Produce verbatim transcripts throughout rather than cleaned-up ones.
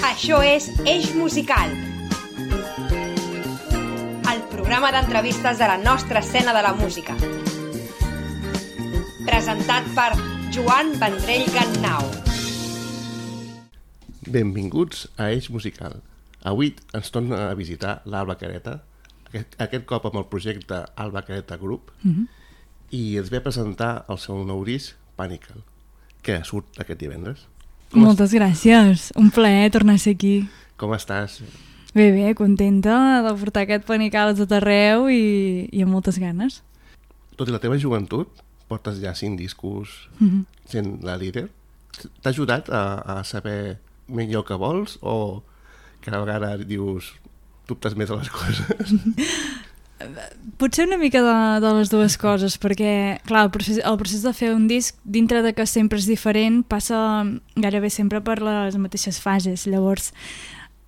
Això és Eix Musical, el programa d'entrevistes de la nostra escena de la música. Presentat per Joan Vendrell Gannau. Benvinguts a Eix Musical. Avui ens torna a visitar l'Alba Careta, aquest, aquest cop amb el projecte Alba Careta Group, mm-hmm. i ens ve a presentar el seu nou disc, Panical, que surt aquest divendres. Com Moltes est... gràcies, un plaer tornar a ser aquí. Com estàs? Bé, bé, contenta de portar aquest Panical a tot arreu i, i amb moltes ganes. Tot i la teva joventut, portes ja cinc discos mm-hmm. sent la líder. T'ha ajudat a, a saber millor què vols o cada vegada dius dubtes més a les coses? Potser una mica de, de les dues coses, perquè clar, el procés, el procés de fer un disc, dintre de que sempre és diferent, passa gairebé sempre per les mateixes fases. Llavors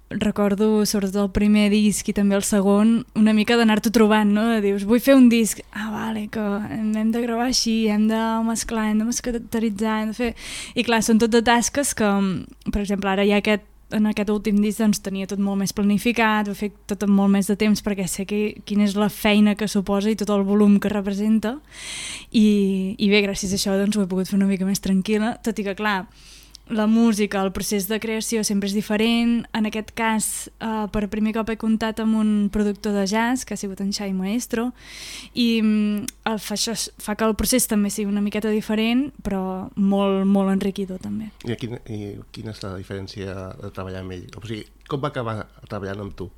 recordo sobretot el primer disc i també el segon una mica d'anar-t'ho trobant, no? Dius, vull fer un disc, ah vale, que hem de gravar així, hem de mesclar, hem de masteritzar, hem de fer... I clar, són tot de tasques que, per exemple, ara hi ha aquest en aquest últim disc doncs, tenia tot molt més planificat, ho he fet tot amb molt més de temps perquè sé que, quina és la feina que suposa i tot el volum que representa i, i bé, gràcies a això doncs, ho he pogut fer una mica més tranquil·la, tot i que clar, la música, el procés de creació sempre és diferent. En aquest cas, eh, per primer cop he comptat amb un productor de jazz, que ha sigut en Xai Maestro, i eh, fa, això fa que el procés també sigui una miqueta diferent, però molt, molt enriquidor també. I quina, i quina és la diferència de treballar amb ell? O sigui, com va acabar treballant amb tu?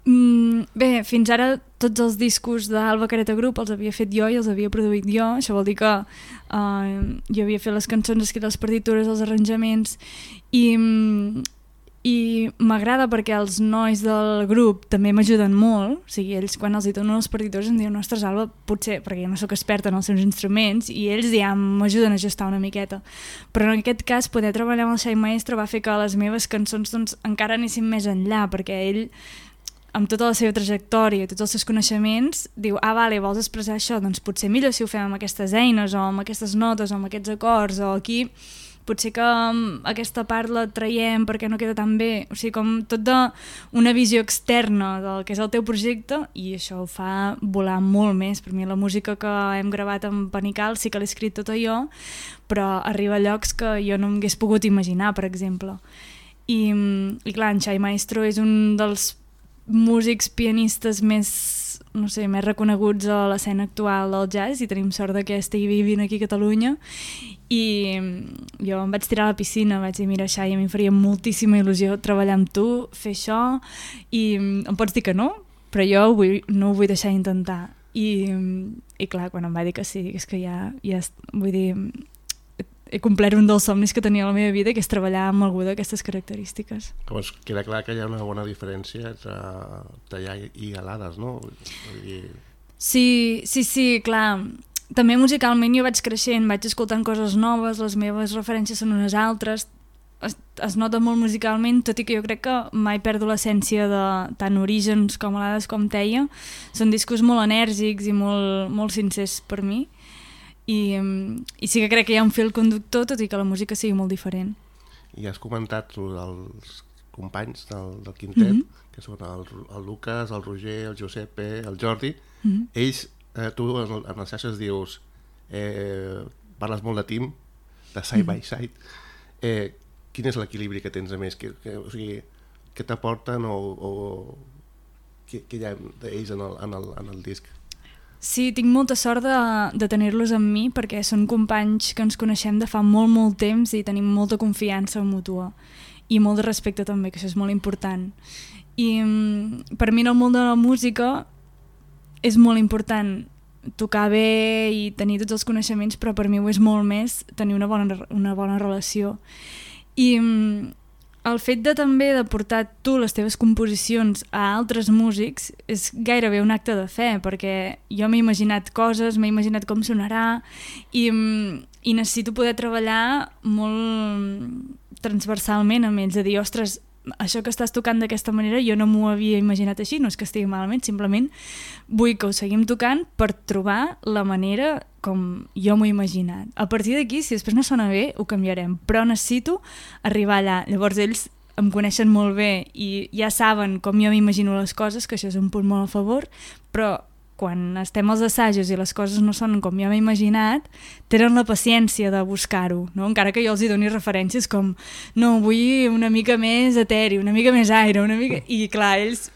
Mm, bé, fins ara tots els discos d'Alba Careta Group els havia fet jo i els havia produït jo. Això vol dir que uh, jo havia fet les cançons, escrit les partitures, els arranjaments i, i m'agrada perquè els nois del grup també m'ajuden molt. O sigui, ells quan els hi donen les partitures em diuen, ostres Alba, potser, perquè jo no sóc experta en els seus instruments i ells ja m'ajuden a ajustar una miqueta, però en aquest cas poder treballar amb el Xai Maestro va fer que les meves cançons doncs, encara anessin més enllà, perquè ell amb tota la seva trajectòria i tots els seus coneixements, diu, ah, vale, vols expressar això? Doncs potser millor si ho fem amb aquestes eines o amb aquestes notes o amb aquests acords o aquí, potser que aquesta part la traiem perquè no queda tan bé. O sigui, com tot d'una visió externa del que és el teu projecte i això ho fa volar molt més. Per mi la música que hem gravat amb Panical sí que l'he escrit tota jo, però arriba a llocs que jo no m'hagués pogut imaginar, per exemple. I, i clar, en Xai Maestro és un dels músics pianistes més, no sé, més reconeguts a l'escena actual del jazz i tenim sort de que estigui vivint aquí a Catalunya i jo em vaig tirar a la piscina, vaig dir, mira Xai, a mi em faria moltíssima il·lusió treballar amb tu, fer això i em pots dir que no, però jo ho vull, no ho vull deixar intentar i, i clar, quan em va dir que sí, és que ja, ja vull dir, he complert un dels somnis que tenia a la meva vida, que és treballar amb algú d'aquestes característiques. Llavors, queda clar que hi ha una bona diferència entre tallar i galades, no? I... Sí, sí, sí, clar. També musicalment jo vaig creixent, vaig escoltant coses noves, les meves referències són unes altres, es, es nota molt musicalment, tot i que jo crec que mai perdo l'essència de tant Orígens com Alades com Teia. Són discos molt enèrgics i molt, molt sincers per mi. I, i sí que crec que hi ha un fil conductor, tot i que la música sigui molt diferent. I has comentat els companys del, del quintet, mm-hmm. que són el, el Lucas, el Roger, el Giuseppe, el Jordi. Mm-hmm. Ells, eh, tu en, en les xarxes dius, eh, parles molt de team, de side mm-hmm. by side. Eh, quin és l'equilibri que tens a més? Que, que, o sigui, què t'aporten o, o què, què hi ha d'ells en el, en el, en el disc? Sí, tinc molta sort de, de tenir-los amb mi perquè són companys que ens coneixem de fa molt, molt temps i tenim molta confiança mútua i molt de respecte també, que això és molt important. I per mi en el món de la música és molt important tocar bé i tenir tots els coneixements, però per mi ho és molt més tenir una bona, una bona relació. I el fet de també de portar tu les teves composicions a altres músics és gairebé un acte de fe, perquè jo m'he imaginat coses, m'he imaginat com sonarà i, i necessito poder treballar molt transversalment amb ells, a dir, ostres, això que estàs tocant d'aquesta manera jo no m'ho havia imaginat així, no és que estigui malament, simplement vull que ho seguim tocant per trobar la manera com jo m'ho he imaginat. A partir d'aquí, si després no sona bé, ho canviarem, però necessito arribar allà. Llavors ells em coneixen molt bé i ja saben com jo m'imagino les coses, que això és un punt molt a favor, però quan estem als assajos i les coses no són com jo m'he imaginat, tenen la paciència de buscar-ho, no? Encara que jo els hi doni referències com no, vull una mica més eteri, una mica més aire, una mica... I clar, ells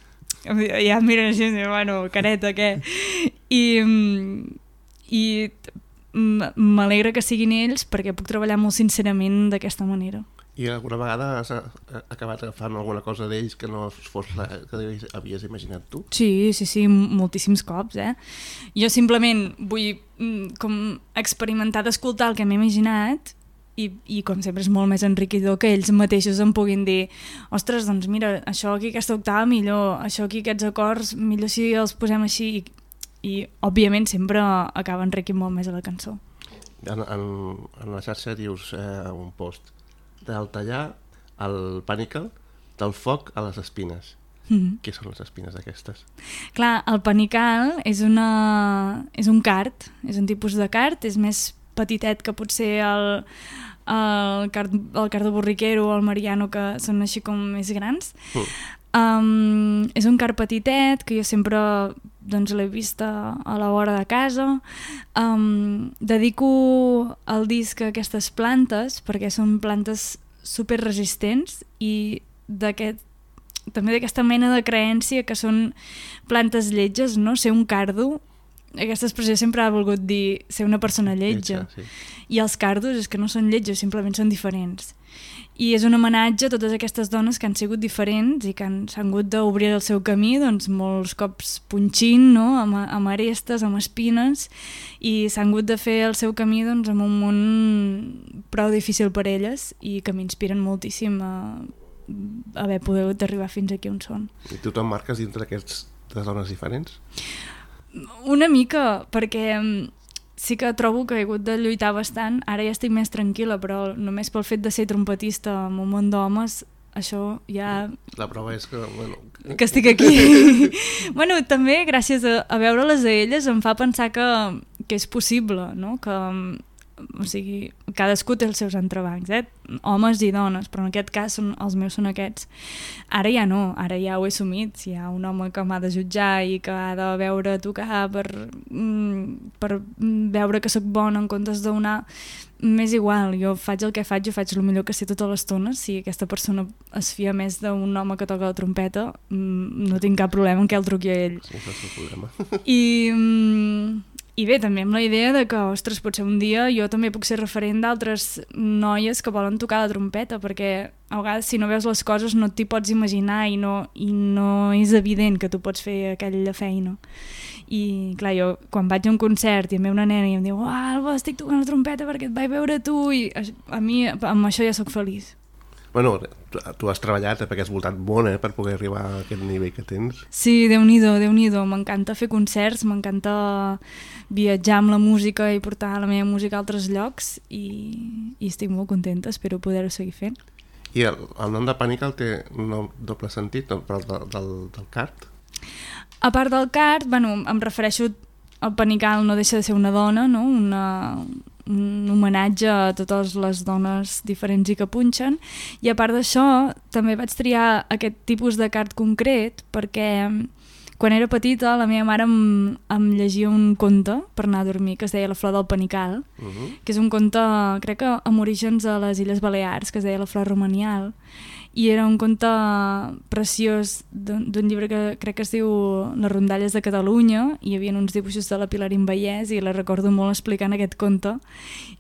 ja em miren així i diuen, bueno, careta, què? I, i m'alegra que siguin ells perquè puc treballar molt sincerament d'aquesta manera. I alguna vegada has acabat agafant alguna cosa d'ells que no fos la que havies imaginat tu? Sí, sí, sí, moltíssims cops, eh? Jo simplement vull com experimentar d'escoltar el que m'he imaginat i, i com sempre és molt més enriquidor que ells mateixos em puguin dir ostres, doncs mira, això aquí, aquesta octava millor, això aquí, aquests acords, millor si els posem així i, i òbviament sempre acaba enriquint molt més a la cançó. En, en, en la xarxa dius eh, un post del tallar al panical, del foc a les espines. Mm-hmm. Què són les espines aquestes? Clar, el panical és, una, és un card, és un tipus de card, és més petitet que potser el, el, card, el cardo borriquero o el mariano, que són així com més grans. Mm. Um, és un card petitet que jo sempre doncs, l'he vist a, a la vora de casa. Um, dedico el disc a aquestes plantes perquè són plantes super resistents i d'aquest, també d'aquesta mena de creença que són plantes lletges, no? Ser un cardo, aquesta expressió sempre ha volgut dir ser una persona lletja. Lletja, sí. I els cardos és que no són lletjos, simplement són diferents. I és un homenatge a totes aquestes dones que han sigut diferents i que s'han hagut d'obrir el seu camí, doncs molts cops punxint, no? amb, amb arestes, amb espines, i s'han hagut de fer el seu camí doncs, en un món prou difícil per elles i que m'inspiren moltíssim a haver pogut arribar fins aquí on són. I tu t'emmarques dintre d'aquestes dones diferents? Una mica, perquè sí que trobo que he hagut de lluitar bastant. Ara ja estic més tranquil·la, però només pel fet de ser trompetista en un món d'homes, això ja... La prova és que... Bueno... que estic aquí. Bueno, també gràcies a, a veure-les a elles em fa pensar que, que és possible, no? Que, o sigui, cadascú té els seus entrebancs, eh? Homes i dones, però en aquest cas són, els meus són aquests. Ara ja no, ara ja ho he assumit. Si hi ha un home que m'ha de jutjar i que ha de veure tocar per, per veure que sóc bona en comptes d'una, m'és igual, jo faig el que faig, jo faig el millor que sé tota l'estona. Si aquesta persona es fia més d'un home que toca la trompeta, no tinc cap problema en què el truqui a ell. Sí, no és el problema. I... I bé, també amb la idea de que, ostres, potser un dia jo també puc ser referent d'altres noies que volen tocar la trompeta, perquè a vegades si no veus les coses no t'hi pots imaginar i no, i no és evident que tu pots fer aquella feina. I clar, jo quan vaig a un concert i em ve una nena i em diu oh, Alba, estic tocant la trompeta perquè et vaig veure tu, i a mi amb això ja sóc feliç. Bueno, tu, tu has treballat perquè has voltat molt eh, per poder arribar a aquest nivell que tens. Sí, Déu-n'hi-do, Déu-n'hi-do. M'encanta fer concerts, m'encanta viatjar amb la música i portar la meva música a altres llocs i, i estic molt contenta, espero poder-ho seguir fent. I el, el nom de Panical té un doble sentit, però del, del, del card? A part del card, bueno, em refereixo al Panical no deixa de ser una dona, no? Una... un homenatge a totes les dones diferents i que punxen, i a part d'això també vaig triar aquest tipus de card concret perquè quan era petita la meva mare em, em llegia un conte per anar a dormir que es deia La flor del panical, uh-huh. que és un conte crec que amb orígens a les Illes Balears, que es deia La flor romanial, i era un conte preciós d'un llibre que crec que es diu Les rondalles de Catalunya, i hi havia uns dibuixos de la Pilarín Vallès i la recordo molt explicant aquest conte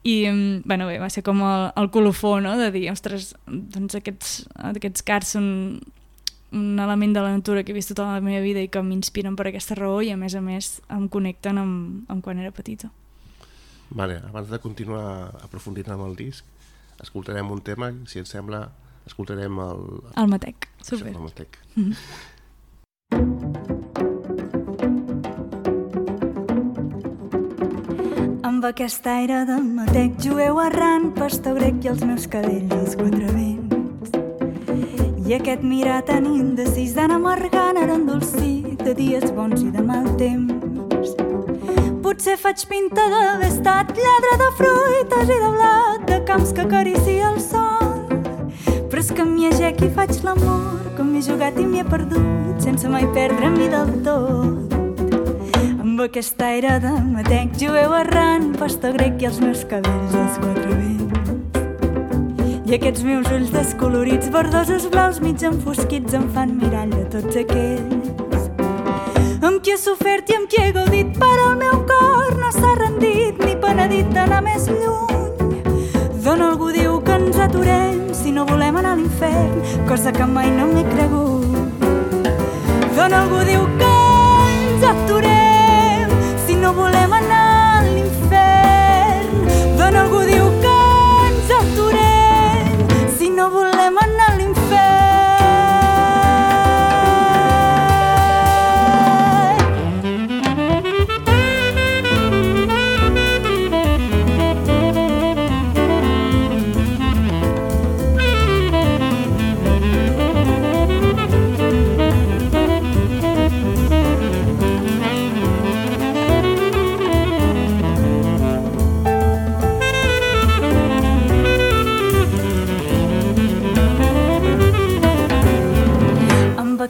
i bueno, bé, va ser com el, el colofó, no? De dir, ostres, doncs aquests, aquests cards són un element de la natura que he vist tota la meva vida i que m'inspiren per aquesta raó i a més a més em connecten amb, amb quan era petita. Vale, abans de continuar aprofundint amb el disc, escoltarem un tema, si et sembla escoltarem el... El Matec, super. El Matec. Mm-hmm. Amb aquest aire de matec jueu errant, pastor grec i els meus cabells quatre vents. I aquest mirar tan indecís d'anar amargant ara endolcit de dies bons i de mal temps. Potser faig pinta d'haver estat lladre de fruites i de blat de camps que acaricia el sol. però és que m'hi agec i faig l'amor, com m'he jugat i m'hi he perdut, sense mai perdre-m'hi del tot. Amb aquest aire de matec jueu errant, pasta grec i els meus cabells als quatre vents. I aquests meus ulls descolorits, verdosos blaus mig enfosquits, em fan mirall de tots aquells amb qui he sofert i amb qui he gaudit, però el meu cor no s'ha rendit ni penedit d'anar més lluny. D'on algú diu que ens aturem si no volem anar a l'infern, cosa que mai no m'he cregut. D'on algú diu que ens aturem si no volem anar a l'infern. D'on algú diu que ens aturem si no volem anar a l'infern.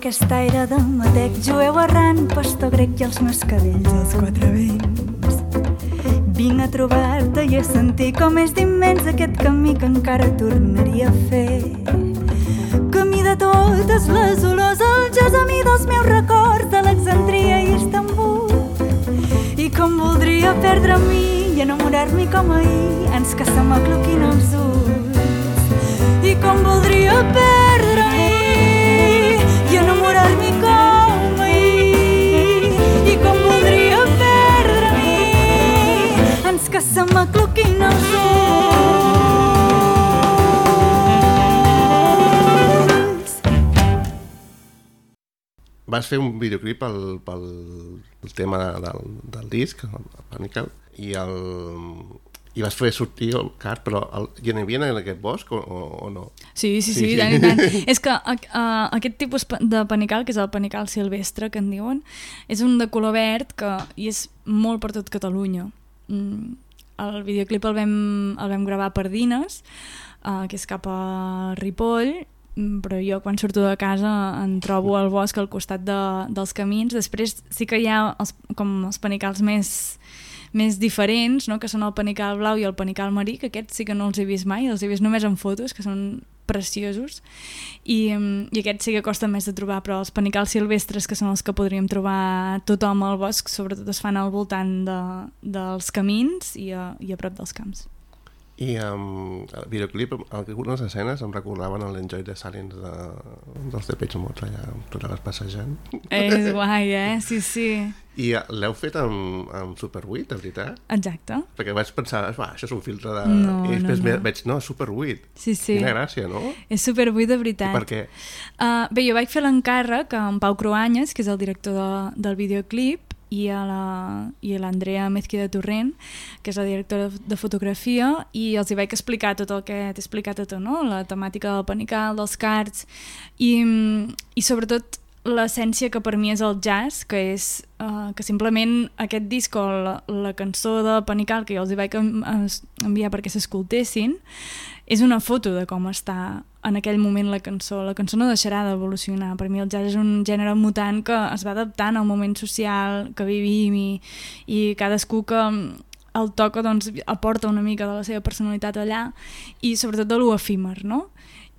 Aquest aire de matec jueu errant, pastor grec i els meus cabells als quatre vents. Vinc a trobar-te i a sentir com és d'immens aquest camí que encara tornaria a fer. Camí de totes les olors, el gessamí dels meus records d'Alexandria i Istanbul. I com voldria perdre-m'hi i enamorar-m'hi com ahir, ans que se m'acloquin els ulls. I com voldria perdre-m'hi i enamorar-m'hi com ahir, i com voldria perdre-m'hi ans que se m'acloquin els ulls. Vas fer un videoclip pel, pel, pel tema del, del disc, el Panical, i el... i vas fer sortir el car, però el, hi havia en aquest bosc o, o no? Sí, sí, sí, sí, tant i tant. És que uh, aquest tipus de panical, que és el panical silvestre, que en diuen, és un de color verd que, i és molt per tot Catalunya. Mm, el videoclip el vam, el vam gravar a Pardines, uh, que és cap a Ripoll, però jo quan surto de casa em trobo al bosc al costat de, dels camins. Després sí que hi ha els, com els panicals més... més diferents, no? Que són el panical blau i el panical marí, que aquests sí que no els he vist mai, els he vist només en fotos, que són preciosos, i, i aquests sí que costa més de trobar, però els panicals silvestres, que són els que podríem trobar tothom al bosc, sobretot es fan al voltant de, dels camins i a, i a prop dels camps. I um, el videoclip, algunes escenes em recordaven l'Enjoy the Silence de, dels Depeche Mode, allà tu anaves passejant. És guai, eh? Sí, sí. I l'heu fet amb, amb Super vuit, de veritat? Exacte. Perquè vaig pensar, això és un filtre de... No, I després no, no. veig, no, Super vuit. Sí, sí. Quina gràcia, no? És Super vuit de veritat. I per què? Uh, bé, jo vaig fer l'encàrrec amb Pau Cruanyes, que és el director de, del videoclip, i a l'Andrea Mezquida Torrent, que és la directora de fotografia, i els hi vaig explicar tot el que t'he explicat a tu, no? La temàtica del panical, dels cards, i, i sobretot l'essència que per mi és el jazz, que és uh, que simplement aquest disc o la, la cançó de Panical, que jo els hi vaig enviar perquè s'escoltessin, és una foto de com està en aquell moment la cançó. La cançó no deixarà d'evolucionar. Per mi el jazz és un gènere mutant que es va adaptant al moment social que vivim i, i cadascú que el toca doncs, aporta una mica de la seva personalitat allà i sobretot de lo efímer, no?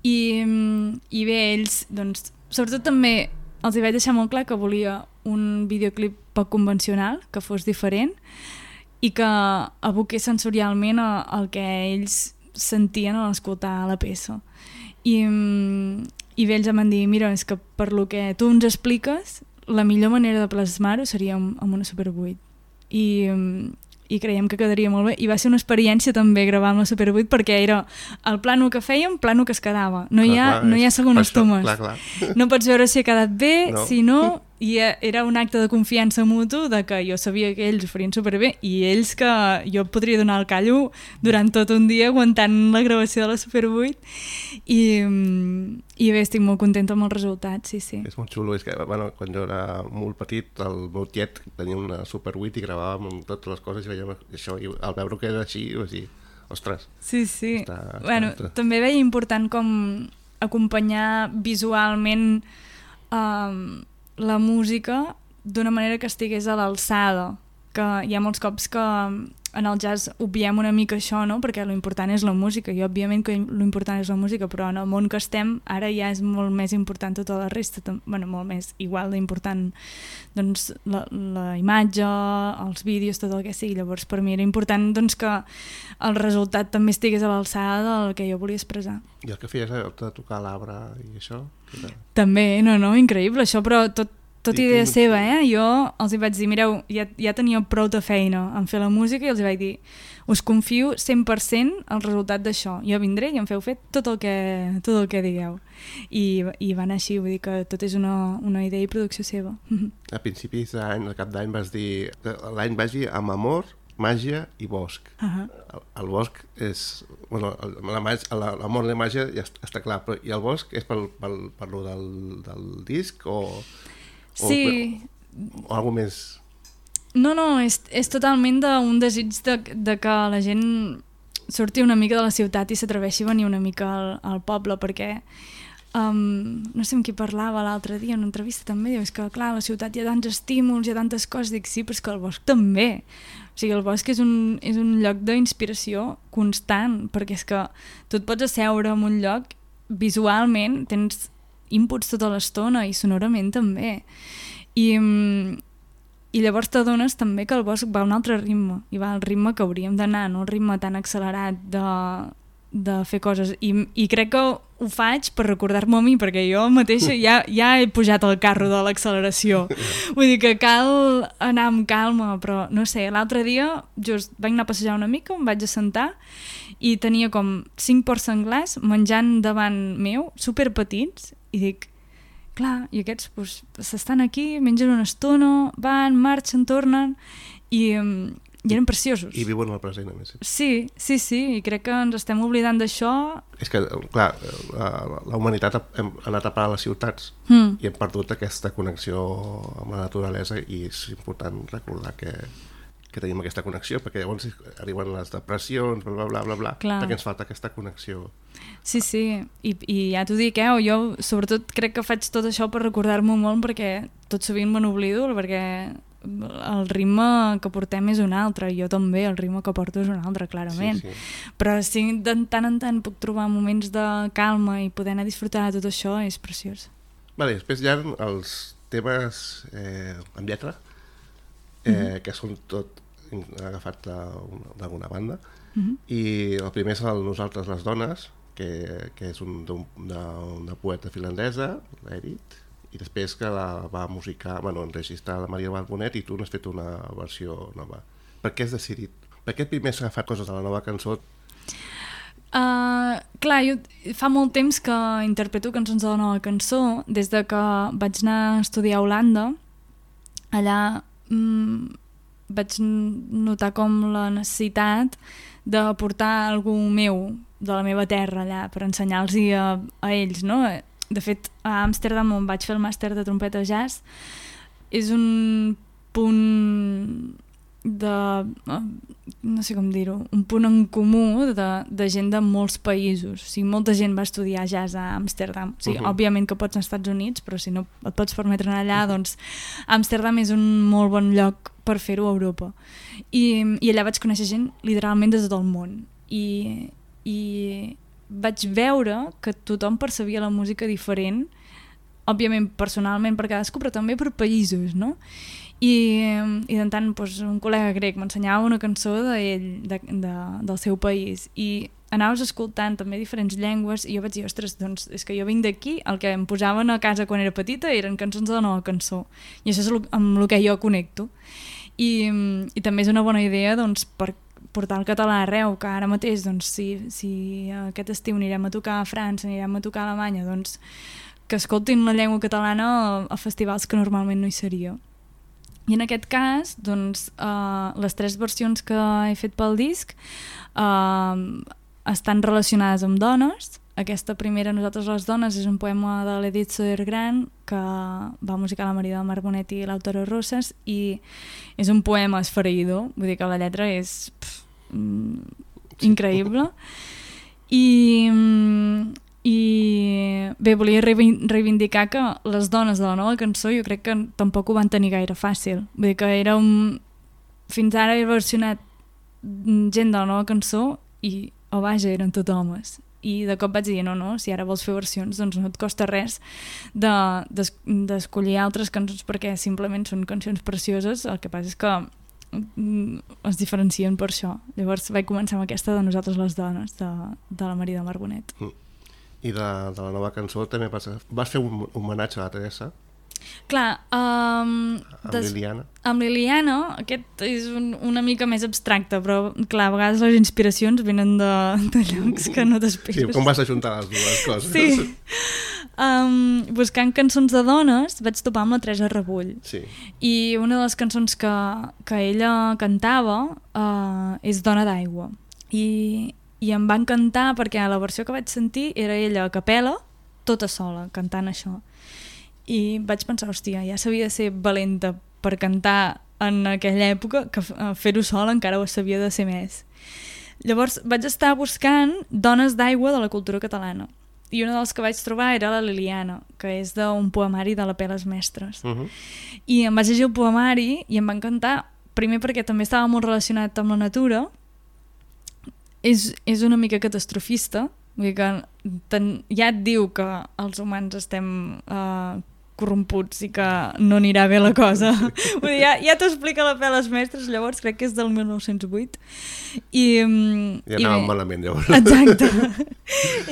I, i bé, ells, doncs, sobretot també els hi vaig deixar molt clar que volia un videoclip poc convencional, que fos diferent i que aboqués sensorialment el que ells sentien a escoltar la peça. I, i bé, ells em van dir, mira, és que per lo que tu ens expliques, la millor manera de plasmar-ho seria amb, amb una Super vuit. I, i creiem que quedaria molt bé. I va ser una experiència també gravar amb la Super vuit perquè era el plano que fèiem, plano que es quedava. No, clar, hi, ha, clar, no hi ha segones tomes. Clar, clar. No pots veure si ha quedat bé, no. Si no... I era un acte de confiança mutu de que jo sabia que ells ho farien superbé i ells que jo podria donar el callo durant tot un dia aguantant la gravació de la Super vuit i, i bé, estic molt contenta amb el resultat, sí, sí. És molt xulo, és que bueno, quan jo era molt petit el meu tiet tenia una Super vuit i gravàvem amb totes les coses i veiem això i al veure que era així, o sigui, ostres. Sí, sí. Està, bueno, està... també veia important com acompanyar visualment um, la música d'una manera que estigués a l'alçada, que hi ha molts cops que en el jazz obviem una mica això, no? Perquè l'important és la música, i òbviament que l'important és la música, però en el món que estem ara ja és molt més important tota la resta, bueno, molt més igual d'important, doncs, la, la imatge, els vídeos, tot el que sigui. Llavors per mi era important, doncs, que el resultat també estigués a l'alçada del que jo volia expressar. I el que feies era tocar l'arbre i això? Era... També, no, no, increïble això, però tot Tot idea seva, eh? Jo els hi vaig dir, mireu, ja, ja tenia prou de feina en fer la música i els hi vaig dir, us confio cent per cent el resultat d'això. Jo vindré i em feu fer tot el que, tot el que digueu. I, i va anar així, vull dir que tot és una, una idea i producció seva. A principis d'any, al cap d'any, vas dir l'any vagi amb amor, màgia i bosc. Uh-huh. el, el bosc és... Bueno, l'amor i la màgia ja està clar, però i el bosc és pel, pel, per lo del, del disc o... O, sí. O, o alguna més... No, no, és, és totalment d'un desig de, de que la gent surti una mica de la ciutat i s'atreveixi a venir una mica al, al poble, perquè um, no sé amb qui parlava l'altre dia en una entrevista també, diu, és que clar, a la ciutat hi ha tants estímuls, hi ha tantes coses, dic sí, però és que el bosc també. O sigui, el bosc és un, és un lloc d'inspiració constant, perquè és que tu et pots asseure en un lloc, visualment tens inputs tota l'estona i sonorament també, i, i llavors t'adones també que el bosc va a un altre ritme, i va al ritme que hauríem d'anar, no el ritme tan accelerat de, de fer coses, i, i crec que ho faig per recordar-m'ho a mi, perquè jo mateixa ja, ja he pujat al carro de l'acceleració, vull dir que cal anar amb calma, però no sé, l'altre dia just vaig anar a passejar una mica, em vaig assentar i tenia com cinc porcs senglars menjant davant meu, superpetits, i dic, clar, i aquests pues, s'estan aquí, mengen una estona, van, marxen, tornen, i, i eren preciosos. I viuen al present, a més. Sí, sí, sí, i crec que ens estem oblidant d'això. És que, clar, la, la humanitat ha, hem anat a parar a les ciutats mm. i hem perdut aquesta connexió amb la naturalesa, i és important recordar que que tenim aquesta connexió, perquè llavors arriben les depressions, bla, bla, bla, bla, Clar. perquè ens falta aquesta connexió. Sí, sí, I, i ja t'ho dic, eh? Jo sobretot crec que faig tot això per recordar-m'ho molt, perquè tot sovint me n'oblido, perquè el ritme que portem és un altre, jo també, el ritme que porto és un altre, clarament. Sí, sí. Però si de tant en tant puc trobar moments de calma i poder anar a disfrutar de tot això, és preciós. Vale, després hi ha els temes eh, amb lletra, eh, mm-hmm. que són tot agafat d'alguna banda, mm-hmm. i el primer és el Nosaltres les dones, que, que és un, una, una poeta finlandesa, l'Edith, i després que la va musicar, bueno, enregistrar la Maria Barbonet, i tu n'has fet una versió nova. Per què has decidit? Per què primer has agafat coses de la nova cançó? Uh, clar, jo fa molt temps que interpreto cançons de la nova cançó, des de que vaig anar a estudiar a Holanda. Allà mm, vaig notar com la necessitat de portar algú meu de la meva terra allà per ensenyar-los a, a ells, no? De fet, a Amsterdam, on vaig fer el màster de trompeta jazz, és un punt de... no sé com dir-ho, un punt en comú de, de gent de molts països. O sigui, molta gent va estudiar jazz a Amsterdam. O sigui, uh-huh. òbviament que pots anar als Estats Units, però si no et pots permetre anar allà, doncs Amsterdam és un molt bon lloc per fer-ho a Europa. I, i allà vaig conèixer gent literalment de tot el món. I, i vaig veure que tothom percebia la música diferent, òbviament personalment per cadascú, però també per països, no? I, i de tant doncs, un col·lega grec m'ensenyava una cançó d'ell, de, de, del seu país, i anaves escoltant també diferents llengües, i jo vaig dir, ostres, doncs és que jo vinc d'aquí, el que em posaven a casa quan era petita eren cançons de la nova cançó, i això és amb el que jo connecto. I, i també és una bona idea doncs, per portar el català arreu, que ara mateix doncs, si, si aquest estiu anirem a tocar a França, anirem a tocar a Alemanya, doncs que escoltin la llengua catalana a, a festivals que normalment no hi seria. I en aquest cas, doncs, uh, les tres versions que he fet pel disc uh, estan relacionades amb dones. Aquesta primera, Nosaltres les dones, és un poema de l'Edith Södergran que va musicar la Maria del Mar Bonet i l'Autaro Rosas, i és un poema esfereïdor, vull dir que la lletra és pff, mm, increïble. I, i bé, volia reivindicar que les dones de la nova cançó jo crec que tampoc ho van tenir gaire fàcil. Vull dir que era un... Fins ara he versionat gent de la nova cançó i, oh vaja, eren tot homes. I de cop vaig dir, no, no, si ara vols fer versions, doncs no et costa res d'escollir altres cançons perquè simplement són cançons precioses, el que passa és que es diferencien per això. Llavors vaig començar amb aquesta de Nosaltres les dones, de, de la Maria del Mar Bonet. Mm. I de, de la nova cançó també vas, vas fer un homenatge a la Teresa? Clar, um, amb des... Liliana? Amb Liliana, aquest és un, una mica més abstracte, però clar, a vegades les inspiracions venen de, de llocs que no t'esperes. Sí, com vas ajuntar les dues coses? Sí. Um, buscant cançons de dones vaig topar amb la Teresa Rebull. Sí. I una de les cançons que, que ella cantava uh, és Dona d'aigua. I, I em va encantar perquè la versió que vaig sentir era ella a capella, tota sola, cantant això. I vaig pensar, hòstia, ja s'havia de ser valenta per cantar en aquella època, que fer-ho sola encara ho s'havia de ser més. Llavors vaig estar buscant dones d'aigua de la cultura catalana. I una dels que vaig trobar era la Liliana, que és d'un poemari de la Peles Mestres. Uh-huh. I em vaig llegir el poemari i em va encantar, primer perquè també estava molt relacionat amb la natura, és, és una mica catastrofista, vull dir que ten, ja et diu que els humans estem uh, corromputs i que no anirà bé la cosa. Vull dir, ja, ja t'ho explica la Peles Mestres, llavors crec que és del mil nou-cents vuit. I, ja anàvem malament, llavors. Exacte.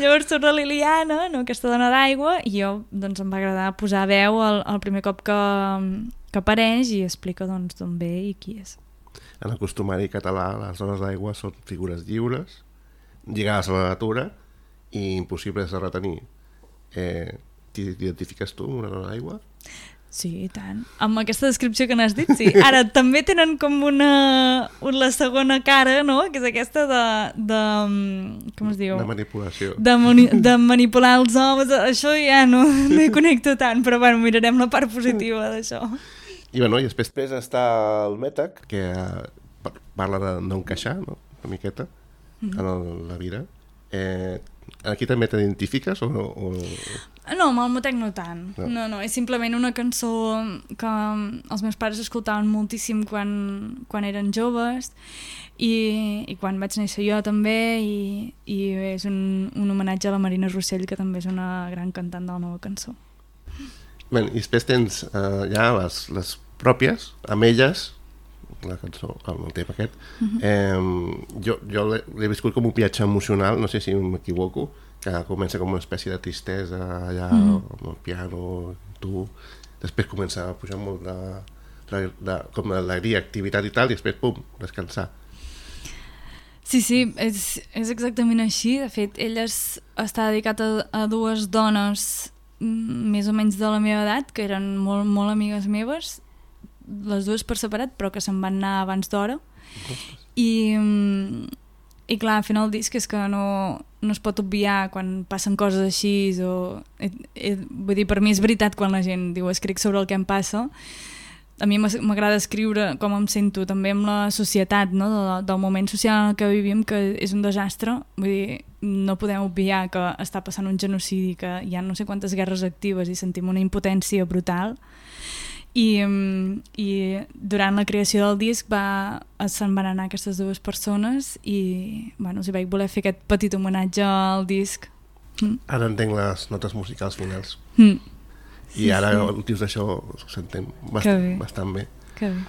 Llavors surt la Liliana, no, aquesta dona d'aigua, i jo doncs, em va agradar posar veu el, el primer cop que, que apareix i explica doncs, d'on ve i qui és. En el costumari català, les dones d'aigua són figures lliures, lligades a la natura i impossibles de retenir. Eh, T'identifiques tu amb una dona d'aigua? Sí, i tant. Amb aquesta descripció que n'has dit, sí. Ara, també tenen com una, una la segona cara, no?, que és aquesta de, de... com es diu? De manipulació. De, mani de manipular els homes. Això ja no, no hi connecto tant, però bueno, mirarem la part positiva d'això. I bueno, i després, després està el Mètec, que parla de no encaixar, no?, una miqueta, mm-hmm. en el, la vida. Eh, aquí també t'identifiques o no? O... No, amb el Mètec no tant. No. no, no, és simplement una cançó que els meus pares escoltaven moltíssim quan, quan eren joves i, i quan vaig néixer jo també i, i és un, un homenatge a la Marina Rossell, que també és una gran cantant de la nova cançó. Bé, i després tens eh, ja les, les pròpies, amb elles, la cançó, el tema aquest. Uh-huh. eh, jo jo l'he viscut com un viatge emocional, no sé si m'equivoco, que comença com una espècie de tristesa allà, uh-huh. amb el piano, tu, després comença a pujar molt de, de, de com d'alegria, activitat i tal, i després, pum, descansar. Sí, sí, és, és exactament així. De fet, ell es, està dedicat a, a dues dones més o menys de la meva edat, que eren molt, molt amigues meves, les dues per separat, però que se'n van anar abans d'hora. I, i clar, al final el disc és que no, no es pot obviar quan passen coses així, o, eh, eh, vull dir, per mi és veritat quan la gent diu escric sobre el que em passa. A mi m'agrada escriure com em sento també amb la societat, no? del, del moment social en què vivim, que és un desastre. Vull dir, no podem obviar que està passant un genocidi, que hi ha no sé quantes guerres actives i sentim una impotència brutal. I, i durant la creació del disc va, se'n van anar aquestes dues persones i bueno, si vaig voler fer aquest petit homenatge al disc. Mm. Ara entenc les notes musicals finals. Mm. I sí, ara sí. Dius això ho sentem bastant bé. Bastant bé. Que bé.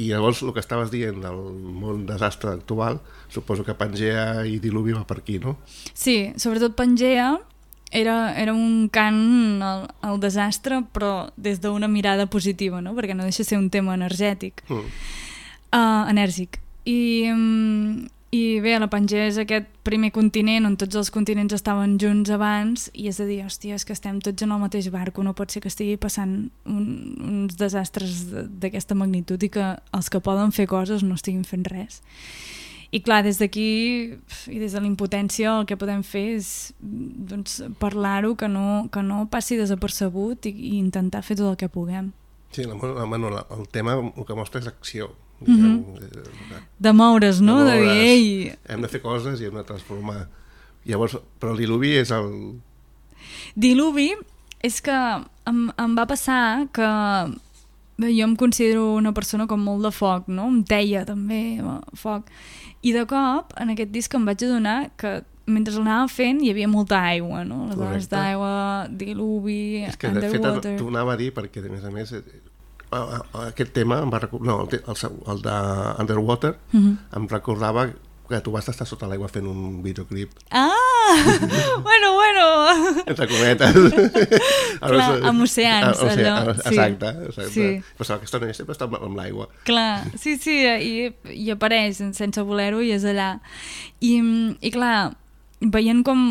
I llavors el que estaves dient del món desastre actual, suposo que Pangea i Diluvi va per aquí, no? Sí, sobretot Pangea Era, era un cant al, al desastre, però des d'una mirada positiva, no? Perquè no deixa de ser un tema energètic, mm. uh, enèrgic. I, um, I bé, la Pangea és aquest primer continent on tots els continents estaven junts abans i és a dir, hòstia, és que estem tots en el mateix barco, no pot ser que estigui passant un, uns desastres d'aquesta magnitud i que els que poden fer coses no estiguin fent res. I clar, des d'aquí i des de la impotència el que podem fer és doncs, parlar-ho, que no, que no passi desapercebut i, i intentar fer tot el que puguem. Sí, la, la, el tema el que mostra és acció. Mm-hmm. de, de moure's, no? De, moure's. De dir, ei... Hem de fer coses i hem de transformar. Llavors, però el diluvi és el, Diluvi és que em, em va passar que bé, jo em considero una persona com molt de foc, no? Em deia també foc. I de cop, en aquest disc em vaig adonar que mentre l'anava fent hi havia molta aigua, no? Les dades d'aigua, diluvi, és que, underwater... de fet, t'ho anava a dir perquè, a més a més, aquest tema em va recordar... No, el, el, el de Underwater uh-huh. em recordava que tu vas estar sota l'aigua fent un videoclip. Ah! bueno, bueno! Entre cometes. Clar, amb oceans, a, allò. Exacte, sí. exacte. Sí. Però aquesta noia sempre està amb l'aigua. Clar, sí, sí, i, i apareix sense voler-ho i és allà. I, i clar, veient com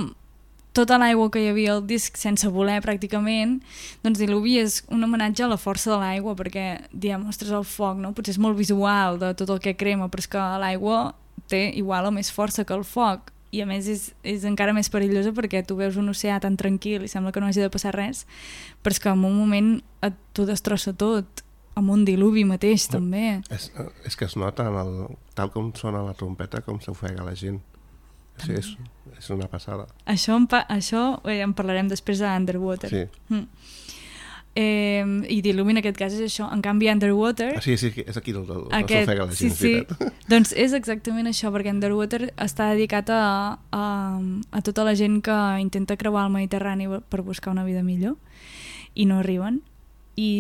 tota l'aigua que hi havia al disc sense voler pràcticament, doncs Diluvi és un homenatge a la força de l'aigua, perquè diem, ostres, el foc, no? Potser és molt visual de tot el que crema, però és que l'aigua té igual o més força que el foc, i a més és, és encara més perillosa perquè tu veus un oceà tan tranquil i sembla que no hagi de passar res, però és que en un moment et, t'ho destrossa tot, amb un diluvi mateix no, també. És, és que es nota en el, tal com sona la trompeta com s'ofega la gent. Sí, és, és una passada. Això, en, pa, això eh, en parlarem després a Underwater. Sí. Mm. Eh, i Diluvi en aquest cas és això. En canvi Underwater ah, sí, sí, és aquí el, el, aquest, el s'ofega la gent, sí, sí. Doncs és exactament això, perquè Underwater està dedicat a, a, a tota la gent que intenta creuar el Mediterrani per buscar una vida millor i no arriben. I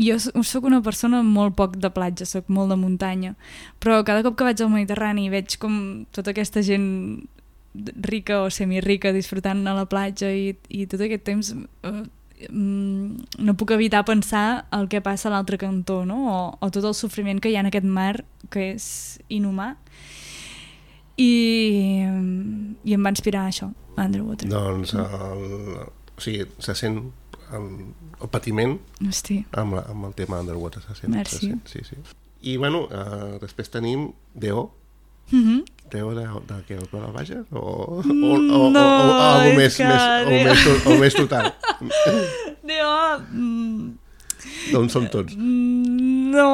jo sóc una persona molt poc de platja, sóc molt de muntanya, però cada cop que vaig al Mediterrani veig com tota aquesta gent rica o semirrica disfrutant a la platja i, i tot aquest temps eh, no puc evitar pensar el que passa a l'altre cantó, no? o, o tot el sofriment que hi ha en aquest mar que és inhumà, i, i em va inspirar això, Underwater. Doncs el, o sigui, se sent el, el patiment Hosti. amb, la, amb el tema Underwater, se sent, Merci. se sent, sí, sí. I bueno, uh, després tenim D O. Mm-hmm. D O de, de què? El Pla Baja? O, o, o, no, o, o, o algo més, que... més, o, més, o més total? D O... Mm, D'on són tots? no,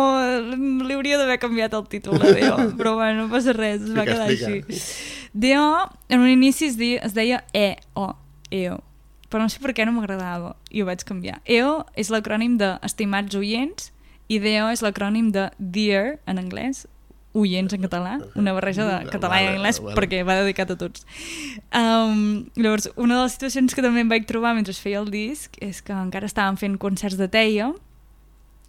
li hauria d'haver canviat el títol de D O, però bueno, no passa res, es va quedar així. D O, en un inici es, di, es deia E O, E O, però no sé per què no m'agradava i ho vaig canviar. E O és l'acrònim de Estimats Oients i D O és l'acrònim de Dear en anglès, oients en català, una barreja de català i anglès perquè va dedicat a tots. Um, llavors, una de les situacions que també em vaig trobar mentre feia el disc és que encara estàvem fent concerts de teia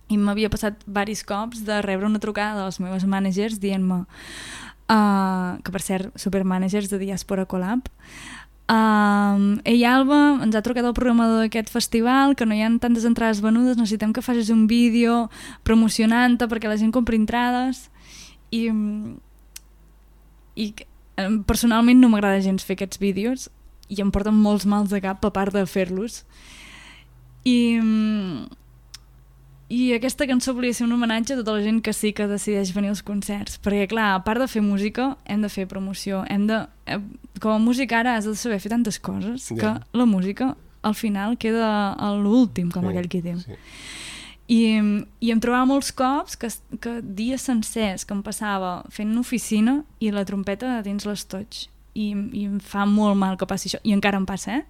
i m'havia passat diversos cops de rebre una trucada de les meves managers dient-me uh, que per cert, supermanagers de Diaspora Collab, Um, Ei Alba, ens ha trucat el programador d'aquest festival que no hi ha tantes entrades venudes, necessitem que facis un vídeo promocionant-te perquè la gent compri entrades. I, i personalment no m'agrada gens fer aquests vídeos i em porten molts mals de cap a part de fer-los, i, i aquesta cançó volia ser un homenatge a tota la gent que sí que decideix venir als concerts, perquè clar, a part de fer música hem de fer promoció, hem de, com a músic ara has de saber fer tantes coses yeah. que la música al final queda a l'últim, com sí, aquell qui diu sí. I, i em trobava molts cops que, que dies sencers que em passava fent oficina i la trompeta dins l'estoig, i, i em fa molt mal que passi això, i encara em passa, eh?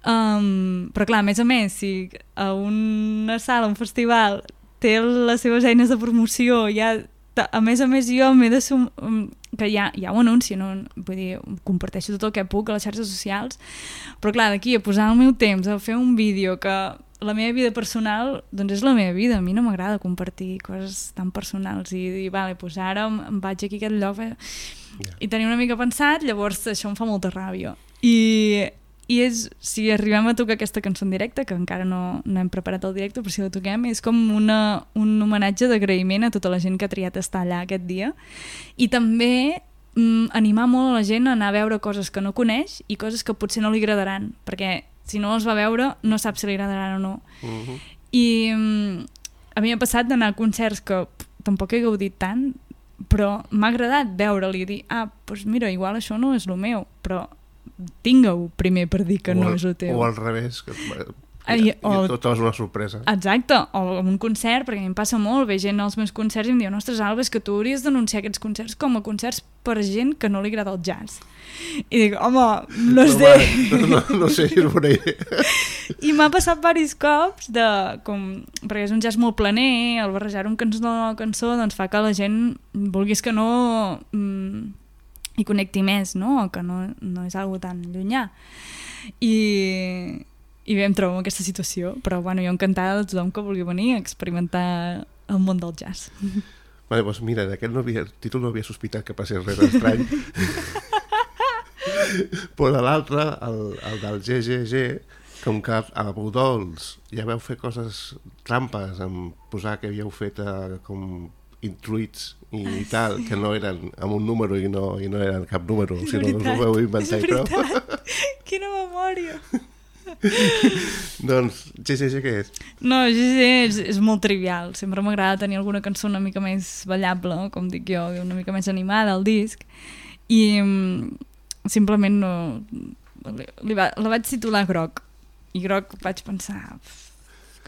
Um, però clar, a més a més, si a una sala, un festival té les seves eines de promoció, ja, a més a més jo m'he de sum... que ja, ja ho anuncio, no? Vull dir, comparteixo tot el que puc a les xarxes socials, però clar, d'aquí a posar el meu temps a fer un vídeo que la meva vida personal, doncs és la meva vida, a mi no m'agrada compartir coses tan personals i dir, vale, doncs ara em vaig aquí a aquest lloc eh? yeah. i tenir una mica pensat, llavors això em fa molta ràbia, i, i és, si arribem a tocar aquesta cançó en directe, que encara no, no hem preparat el directe, però si la toquem és com una, un homenatge d'agraïment a tota la gent que ha triat estar allà aquest dia, i també mm, animar molt a la gent a anar a veure coses que no coneix i coses que potser no li agradaran, perquè si no els va veure no sap si li agradaran o no. Uh-huh. I um, a mi m'ha passat d'anar a concerts que pff, tampoc he gaudit tant, però m'ha agradat veure-li i dir, ah, doncs mira, igual això no és el meu, però tinga-ho primer per dir que o no al, és el teu. O al revés, que I, I, o... i tot és una sorpresa. Exacte, o un concert, perquè a mi em passa molt, ve gent als meus concerts i em diu, ostres, Alba, és que tu hauries d'anunciar aquests concerts com a concerts per gent que no li agrada el jazz. I dic, home, no, no sé. No, no, no sé si és bona idea. I m'ha passat diversos cops, de, com, perquè és un jazz molt planer, el barrejar un cançó de la cançó doncs fa que la gent, vulguis que no, mm, hi connecti més, no? Que no, no és algo tan llunyà. I... I bé, em trobo en aquesta situació, però bueno, jo encantada de tothom que vulgui venir a experimentar el món del jazz. Vale, doncs mira, d'aquest no havia, títol no havia sospitat que passés res estrany. Però de l'altre, el, el del G G G, com que a Budols ja veu fer coses trampes, en posar que havíeu fet eh, com intruits i, i tal, que no eren amb un número i no, i no eren cap número, és sinó veritat, que us ho veu inventar i prou. Quina memòria! Doncs G G G què és? No, G G G és, és molt trivial. Sempre m'agrada tenir alguna cançó una mica més ballable, com dic jo, una mica més animada al disc, i um, simplement no li, li va, la vaig titular Groc, i Groc vaig pensar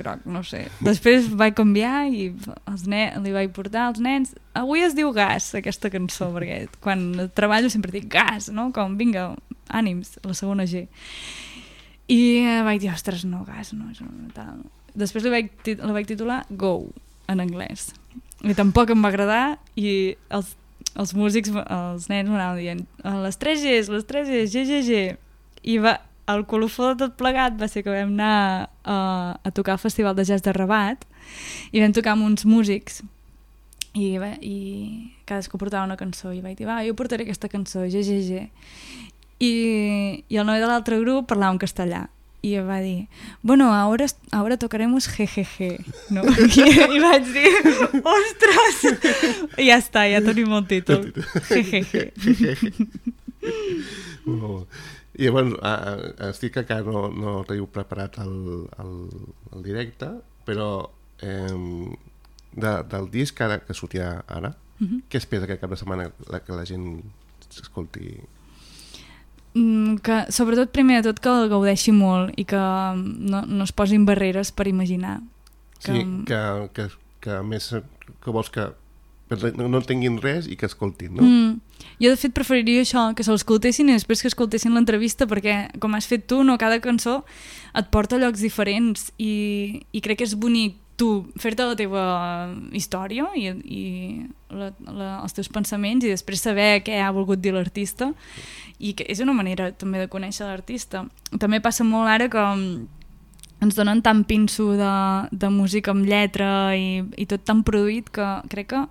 Groc, no sé, després vaig canviar i els nen, li vaig portar als nens, avui es diu Gas aquesta cançó, perquè quan treballo sempre dic Gas, no? Com vinga, ànims, la segona G. I eh, vaig dir, ostres, no, Gas, no, això no, tal. Després li vaig, la vaig titular Go, en anglès. I tampoc em va agradar i els, els músics, els nens m'anaven dient les tres Gs, les tres Gs, G G G. I va, el colofó de tot plegat va ser que vam anar a, a tocar al Festival de Jazz de Rabat i vam tocar amb uns músics i, bé, i cadascú portava una cançó i vaig dir, va, jo portaré aquesta cançó, G G G. I, i el noi de l'altre grup parlava en castellà i va dir, bueno, ahora, ahora tocaremos G G G, no? I, i vaig dir, ostres, i ja està, ja tenim el títol, G G G. Oh. I llavors estic que encara no, no teniu preparat el, el, el directe, però eh, de, del disc ara, que sortirà ara, uh-huh. Què espera que cap de setmana la, que la gent s'escolti? Que, sobretot, primer de tot, que el gaudeixi molt i que no, no es posin barreres per imaginar. Que... Sí, que, que, que a més que vols que no entenguin res i que escoltin, no? Mm. Jo, de fet, preferiria això, que se l'escoltessin i després que escoltessin l'entrevista, perquè, com has fet tu, no, cada cançó et porta a llocs diferents i, i crec que és bonic tu fer-te la teva història i, i la, la, els teus pensaments i després saber què ha volgut dir l'artista i que és una manera també de conèixer l'artista. També passa molt ara que ens donen tant pinso de, de música amb lletra i, i tot tan produït que crec que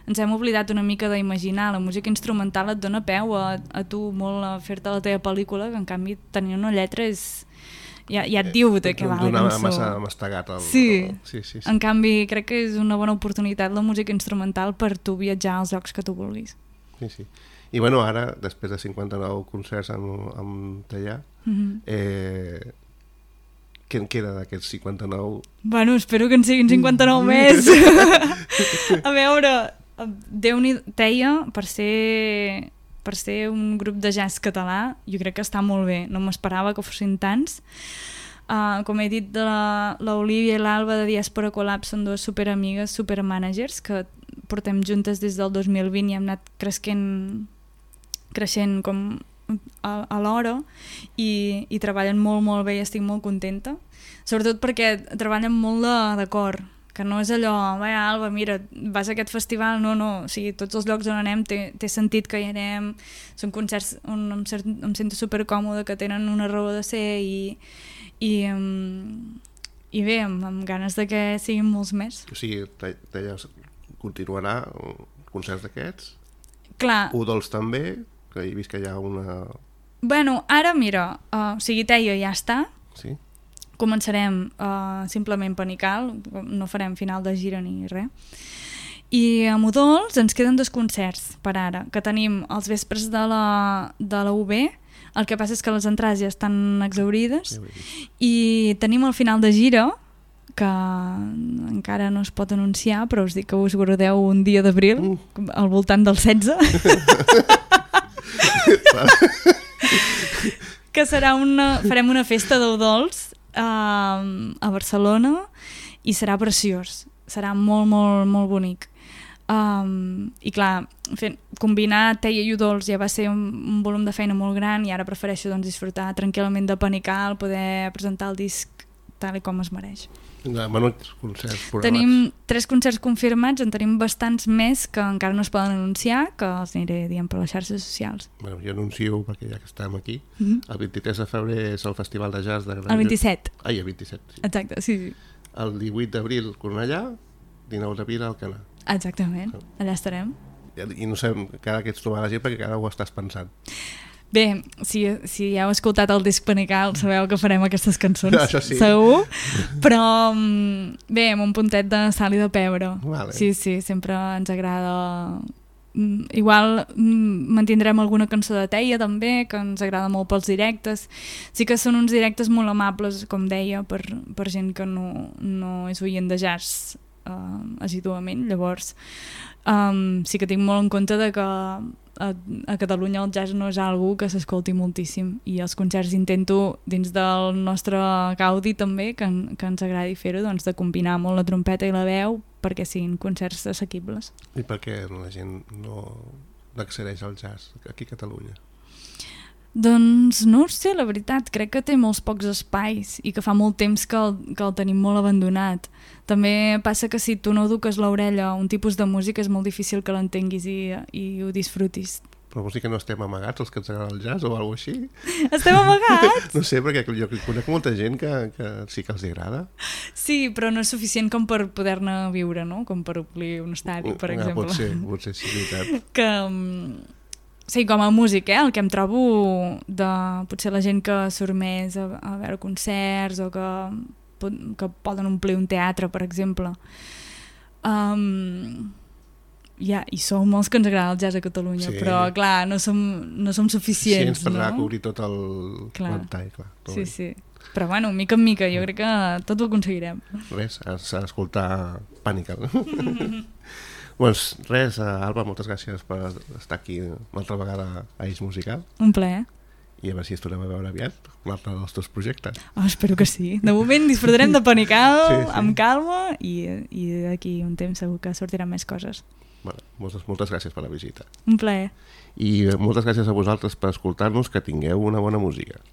ens hem oblidat una mica d'imaginar. La música instrumental et dona peu a, a tu molt a fer-te la teva pel·lícula, que en canvi tenir una lletra és... Ja, ja et diu de què va la cançó. Massa mastegat. El, sí. El, sí, sí, sí. En canvi, crec que és una bona oportunitat la música instrumental per tu viatjar als llocs que tu vulguis. Sí, sí. I bueno, ara, després de cinquanta-nou concerts amb, amb Tallà, mm-hmm. eh, què en queda d'aquests cinquanta-nou? Bueno, espero que en siguin cinquanta-nou més. A veure, Déu-n'hi Teia, per ser... per ser un grup de jazz català, jo crec que està molt bé. No m'esperava que fossin tants. Uh, com he dit, l'Olivia i l'Alba de Diàspora Collab són dues superamigues, supermanagers, que portem juntes des del dos mil vint i hem anat creixent, creixent com a, a l'hora i, i treballen molt, molt bé i estic molt contenta. Sobretot perquè treballen molt de, de cor, que no és allò, vai Alba, mira, vas a aquest festival, no, no, o sigui, tots els llocs on anem té, té sentit que hi anem, són concerts on em, em sento supercòmode, que tenen una raó de ser i, i, um, i bé, amb, amb ganes de que siguin molts més. O sigui, Tallà continuarà concerts d'aquests? Clar. Udols també, que he vist que hi ha una... Bueno, ara mira, uh, o sigui, Teia ja està. Sí. Començarem uh, simplement Panical, no farem final de gira ni res. I a Udols ens queden dos concerts per ara, que tenim els vespres de la, de la U B, el que passa és que les entrades ja estan exaurides, i tenim el final de gira, que encara no es pot anunciar, però us dic que us guardeu un dia d'abril, mm. al voltant del setze. Que serà una... farem una festa d'Udols uh, a Barcelona i serà preciós, serà molt, molt, molt bonic. Um, i clar, fent, combinar teia i udols ja va ser un, un volum de feina molt gran i ara prefereixo doncs, disfrutar tranquil·lament de Panical, poder presentar el disc tal i com es mereix. Menuts concerts programats. Tenim tres concerts confirmats, en tenim bastants més que encara no es poden anunciar, que els aniré dient per les xarxes socials. Bueno, jo anuncio, perquè ja que estem aquí, mm-hmm. el vint-i-tres de febrer és el Festival de Jazz de Gran El vint-i-set. Ai, el vint-i-set, sí. Exacte, sí, sí. El divuit d'abril, Cornellà, dinou d'abril, Alcanar. Exactament, allà estarem. I no sé, cada que ets trobar la gent perquè cada ho estàs pensant. Bé, si, si ja heu escoltat el disc Panical sabeu que farem aquestes cançons, això sí. Segur, però bé, amb un puntet de sal i de pebre. Vale. Sí, sí, sempre ens agrada. Igual mantindrem alguna cançó de Teia també, que ens agrada molt pels directes. Sí que són uns directes molt amables, com deia, per, per gent que no, no és oient de jazz uh, assíduament. Llavors um, sí que tinc molt en compte de que a, a Catalunya el jazz no és algú que s'escolti moltíssim i els concerts intento dins del nostre gaudi també que, que ens agradi fer-ho, doncs de combinar molt la trompeta i la veu perquè siguin concerts assequibles. I per què la gent no accedeix al jazz aquí a Catalunya? Doncs no ho sé, la veritat, crec que té molts pocs espais i que fa molt temps que el, que el tenim molt abandonat. També passa que si tu no eduques l'orella a un tipus de música és molt difícil que l'entenguis i, i ho disfrutis. Però vols dir que no estem amagats els que ens agrada el jazz o alguna cosa així? Estem amagats? No sé, perquè jo conec molta gent que, que sí que els agrada. Sí, però no és suficient com per poder-ne viure, no? Com per omplir un estadi, per ah, exemple. Pot ser, pot ser, sí, veritat. Que... Sí, com a músic, eh? El que em trobo de potser la gent que surt més a, a veure concerts o que, que poden omplir un teatre, per exemple. Um, ja, i som molts que ens agrada el jazz a Catalunya, sí. Però clar, no som, no som suficients. Sí, ens per no? cobrir tot el ventall, clar. Sí, bé. Sí. Però bueno, mica en mica, jo crec que tot ho aconseguirem. Res, s'ha d'escoltar Panical. Doncs res, Alba, moltes gràcies per estar aquí una altra vegada a Eix Musical. Un plaer. I a veure si es tornem a veure aviat un altre dels teus projectes. Oh, espero que sí. De moment disfrutarem de Panical sí, sí. amb calma i, i d'aquí un temps segur que sortiran més coses. Bueno, moltes, moltes gràcies per la visita. Un plaer. I moltes gràcies a vosaltres per escoltar-nos, que tingueu una bona música.